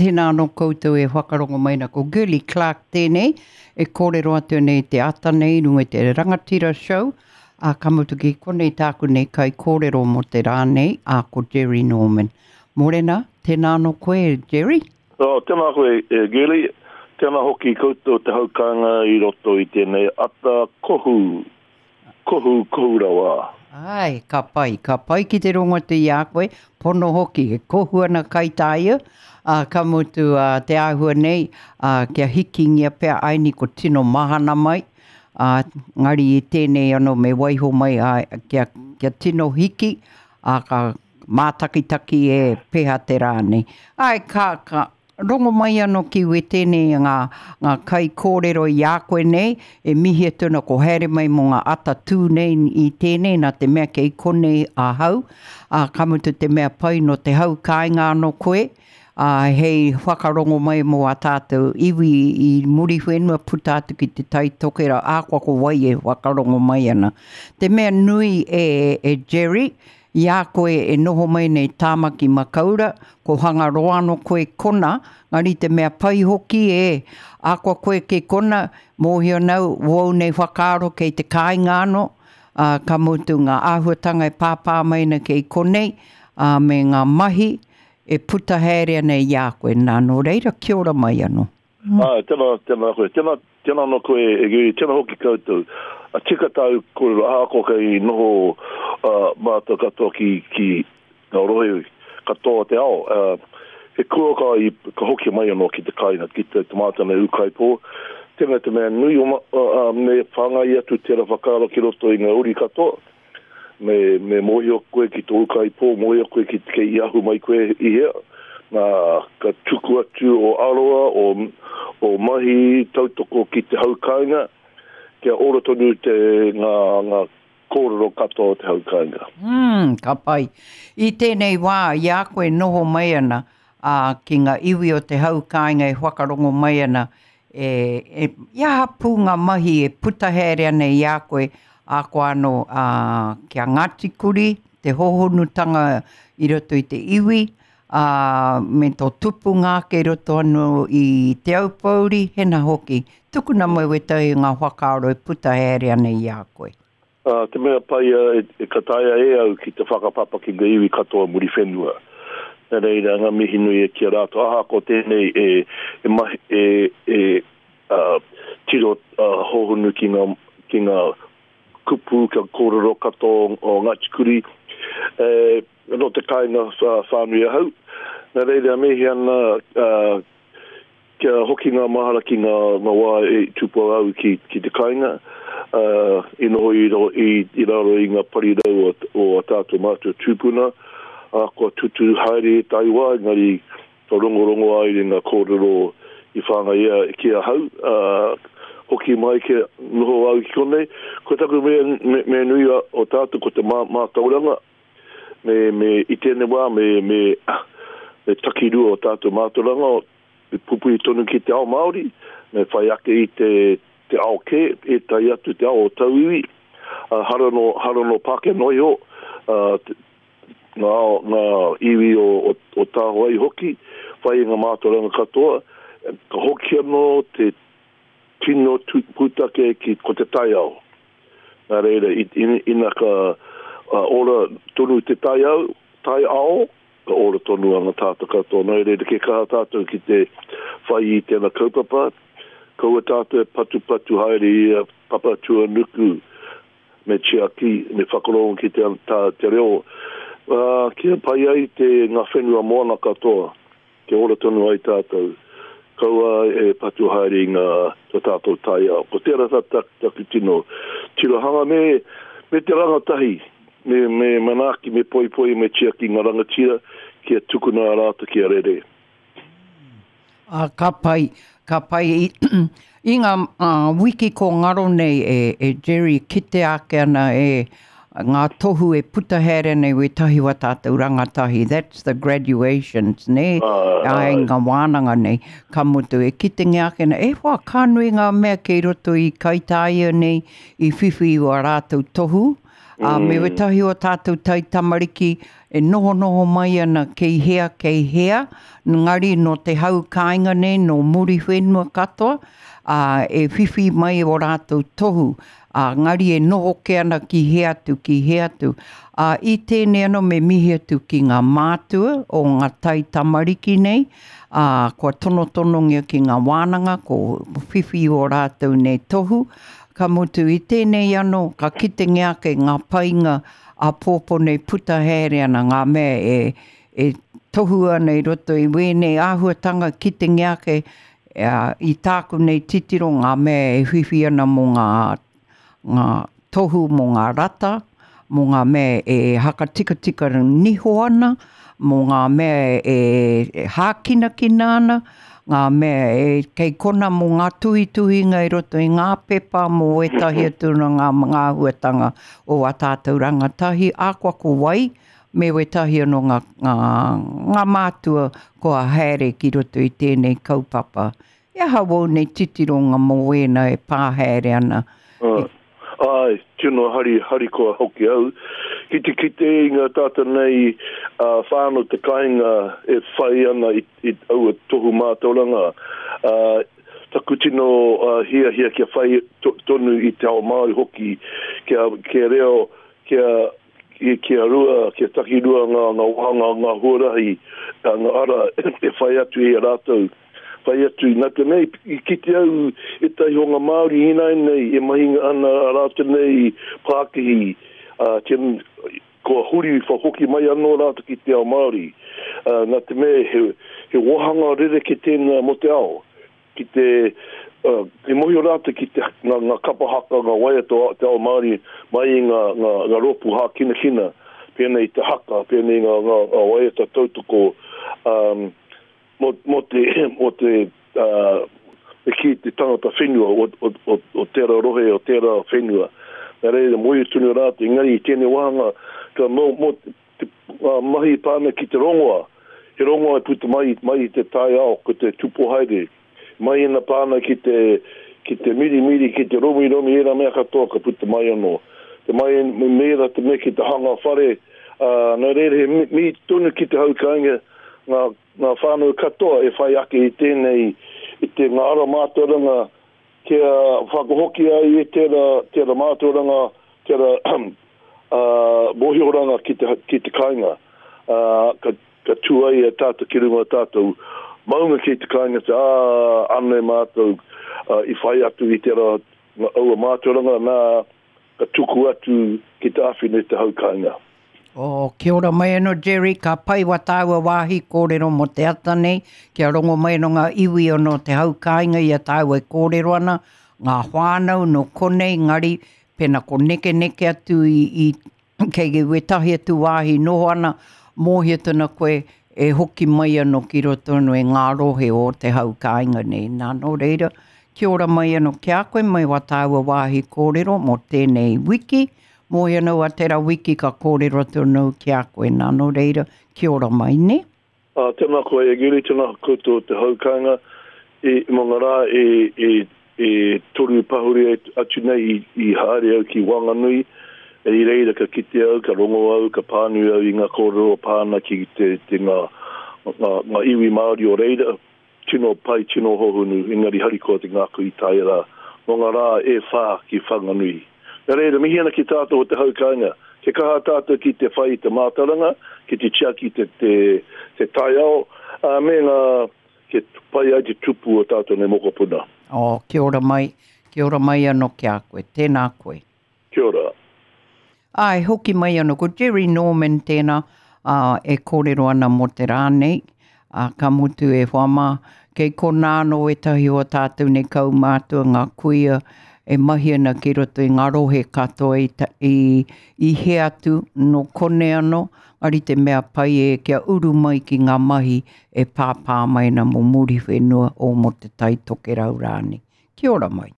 Tēnā anō koutou e whakarongo mai ana. Ko Girlie Clarke tēnei e kōrero atu nei te ata nei i runga i te Rangatira Show. Ā, ka mutu ki konei tāku nei kaikōrero mō te rā nei, ā, ko Jerry Norman. Mōrena, tēnā anō koe, Jerry. Oh, tēnā koe, e Girlie. Tēnā hoki koutou te haukāinga i roto i tēnei ata kohu. Kohu, kohu rawa. Āe, ka pai, ka pai ki te rongo atu i a koe, pono hoki, e kohu ana Kaitaia, ā, ka mutu ā, te āhua nei, ā, kia hikingia pea aini ko tino mahana mai, ā, ngari i tēnei anō me waiho mai, ā, kia, kia tino hiki, ā, ka mātakitaki e peha te rā nei. Āe, ka, ka, Rongo mai ano ki wetene nga nga kaikorero i a koe nei, e mihi atu ana ko haere mai mo nga ata tu nei i tenei na te mea kei konei ahau, a ka mutu te mea pai no te hau kainga ano koe, a hei whakarongo mai mo a tatou iwi i Muriwhenua puta atu ki te Tai Tokerau ahakoa ko wai e whakarongo mai ana. Te mea nui e e Jerry, I a koe e noho mai nei Tāmaki Makaura, ko Hangaroa ano koe kona, ngari te mea pai hoki e, akoa koe ke kona, mōhio nau, wou nei whakaaro kei te kāinga ano, a, ka mutu ngā āhuatanga e pāpā mai ana kei konei, a, me ngā mahi e puta haere ana i a koe, nā, nō reira, kia ora mai ano. Āe, tēnā, tēnā koe. Tēnā, tēnā anō koe e Gary, tēnā hoki koutou. A tika tāu kōrero, ahakoa kei noho mātou katoa ki, ki ngā rohe katoa o te ao, he kua ka, i, ka hoki mai anō ki te kāinga, ki te, te mātou nei ūkaipō. Tēnā te mea nui o, me whāngai atu tērā whakaaro ki roto i ngā uri katoa. Me, me mōhio koe ki tō ūkaipō, mōhio koe ki kei i ahu mai koe i hea. Nā, ka tuku atu o aroa, o, o mahi tautoko ki te hau kāinga, kia ora tonu te, ngā, ngā kōrero katoa o te hau kāinga. Mm, ka pai. I tēnei wā, i a koe noho mai ana, ā, ki ngā iwi o te hau kāinga e whakarongo mai ana, E, e, i aha pū ngā mahi e puta haere ana i a koe, a koa anō, ā, ki a Ngāti Kuri, te hōhonutanga i roto i te iwi, ā, me tō tupunga ake i roto anō i Te Aupōuri, hena hoki, tukuna mai wētahi o ngā whakaaro e puta haere ana i a koe. Ā, te mea pai e ka taea e au ki te whakapapa ki nga iwi katoa Muriwhenua. Na reira, nga mihi nui e ki a ratou, ahakoa tenei e, e mahi, e, e, a, tiro a, hohonu ki nga, ki nga kupu, kia korero katoa o Ngati Kuri, e, no te kainga whanui ahau. Na reira, mihi ana, a, Kia hoki ngā mahara ki ngā ngā wā e tupu au ki ki te kāinga, ā, i noho i i i raro i ngā parirau o o ā tātou mātua tūpuna, ā, kua tutū haere ētahi wā, engari ka rongorongo ai i ngā kōrero i whāngaia ki ahau, ā, hoki mai kia noho au ki konei. Ko taku mea mea nui o tātou ko te mātauranga, me me i tēnei wā me me me takirua o tātou mātauranga, me pupuri tonu ki te ao Māori, me whai ake i te te ao kē, ētahi atu te ao o tauiwi, ā, hara nō, hara nō Pākehā noa iho, ā, ngā ao, ngā iwi o, o, o tāwai hoki, whai i ngā mātauranga katoa, ka hoki anō te tino pūtake ki, ko te taiao. Nā reira, ina ka ora tonu te taiao, taiao, ka ora tonu ana tātou katoa. Nā reira, kia kaha tātou ki te whai i tēnā kaupapa, kaua tātou e patupatu haere i a Papatūānuku, me tiaki, me whakarongo ki te, tā, te reo, ā, kia pai ai te, ngā whenua moana katoa. Kia ora tonu ai tātou, kaua e patu haere i ngā to tātou taiao. Ko tērā tā taku tino tirohanga me, me te rangatahi, me, me manaaki, me poipoi, me tiaki ngā rangatira kia tukuna a rātou kia rere. Ā, ka pai, ka pai i, i ngā wiki ko ngaro nei e, e Jerry, kitea ake ana e ngā tohu e puta haere nei wētahi o ā tātou rangatahi, that's the graduations, nē, ai ngā wānanga nei, ka mutu e kitengia ake nei, e hoa, ka nui ngā mea kei roto i Kaitāia nei i whiwhi i wā rātou tohu, ā, me wētahi o tātou taitamariki. e nohonoho mai ana kei hea, kei hea, ngari nō te hau kāinga nei, nō Muriwhenua katoa, ā, e whiwhi mai ō rātou tohu, ā, ngari e noho kē ana ki hea atu, ki hea atu. Ā, i tēnei anō me mihi atu ki ngā mātua o ngā taitamariki nei, ā, kua tonotonongia ki ngā wānanga, ko whiwhi ō rātou nei tohu, ka mutu i tēnei anō ka kitengia ake ngā painga āpōpō nei puta haere ana ngā mea e, e tohu ana i roto i wēnei āhuatanga kitengia ake i tāku nei titiro ngā mea e whiwhi ana mō ngā, ngā tohu mō ngā rata, mō ngā mea e hakatikatika niho ana, mō ngā mea e hākinakina ana, ngā mea e kei kona mō ngā tuhituhinga i roto i ngā pepa mō ētahi atu o ngā āhuatanga o ā tātou rangatahi, ahakoa ko wai, me wētahi anō ngā, ngā, ngā mātua kua haere ki roto i tēnei kaupapa. He aha wōu nei titironga mō wēnā e pā haere ana? Uh, āe, tino hari, harikoa hoki au. Ki te kite i ngā tātou nei uh, whānau te kāinga e whai ana i, i aua tohu mātauranga. Uh, taku tino uh, hiahia kia whai to, tonu i te ao Māori hoki, kia, kia reo, kia kia rua, kia takirua ngā, ngā wāhanga, ngā huarahi, ngā ara e whai atu i a rātou. Whai atu, nā te mea i kite au ētahi o ngā Māori ināianei e mahinga ana a rātou nei pākihi, ā, kia, kua huri whakahoki mai anō rātou ki te ao Māori. Ā, nā te mea he, he wāhanga rerekē tēnā mō te ao. Ki te, uh, i mōhio rātou ki te, ngā, ngā kapa haka, ngā waiata o te ao Māori mai i ngā, ngā, ngā rōpū hākinakina, pēnei i te haka, pēnei i ngā, ngā, ngā waiata tautoko, um, mō, mō te, mō te, uh, te kī te tangata whenua o, o, o, o tērā rohe, o tērā whenua. Nā reira, mōhio tonu rātou, engari i tēnei wāhanga, ka mō, mō te mahi e pā ana ki te rongoa, he rongoa e puta mai, mai i te taiao, ko te tupu haere. Mai ina pā ana ki te, ki te mirimiri, ki te romiromi, ērā mea katoa ka puta mai anō. Te mai, me ērā te mea ki te hanga whare, ā, nā reira he mihi tonu ki te hau kāinga, ngā, ngā whānau katoa e whai ake i tēnei, i te ngā ara mātauranga kia whakahoki ai e tērā, tērā mātauranga, tērā mōhioranga ki te, ki te kāinga. Ā, ka, ka tū ai e tātou ki runga o tātou maunga ki te kāinga, te, ā, anei mātou i whai atu i tērā, aua mātauranga, nā, ka tuku atu ki te āwhina i te hau kāinga. Oh, kia ora mai anō Jerry, ka pai wa tāua wāhi kōrero mō te ata nei, kia rongo mai anō ngā iwi anō te hau kāinga i a tāua e kōrero ana, ngā whānau nō konei, ngari, pena ko nekeneke atu i, i kei wētahi atu wāhi noho ana, mōhio tona koe e hoki mai anō ki roto anō i ngā rohe o te hau kāinga nei. Nā, nō reira, kia ora mai anō ki a koe mai wā tāua wāhi kōrero mō tēnei wiki, Moe ana au a tera wiki ka kōrero atu anō ki a koe nā, nō reira, kia ora mai, nē? Ā, tēnā koe e Giri, tēnā koutou te hau kāinga, i, mō ngā rā e, e, e toru pahure atu nei i, i haere au ki Wanganui, i reira ka kite au, ka rongo au, ka pānui au i ngā kōrero pā ana ki te, te ngā, ngā, ngā iwi Māori o reira, Tino pai, tino hohonu, engari harikoa te ngākau i tae rā, mō ngā rā e whā ki Whanganui. Nā reira, mihi ana ki tātou o te hau kāinga, kia kaha tātou ki te whai i te mātauranga, ki te tiaki te, te, te taiao, ā, me ngā, kia pai ai te tupu o tātou nei mokopuna. Oh, kia ora mai, kia ora mai anō ki a koe. Tēnā koe. Kia ora. Āe, hoki mai anō, ko Jerry Norman tēnā, ā, e kōrero ana mō te rā nei, ā, ka mutu e hoa mā, kei konā anō ētahi o ā tātou nei kaumātua, ngā kuia e mahi ana ki roto i ngā rohe katoa i, i, i hea atu, nō konei anō, engari te mea pai e kia uru mai ki ngā mahi e pāpā mai ana mō Muriwhenua o mō Te Tai Tokerau rānei. Kia ora mai.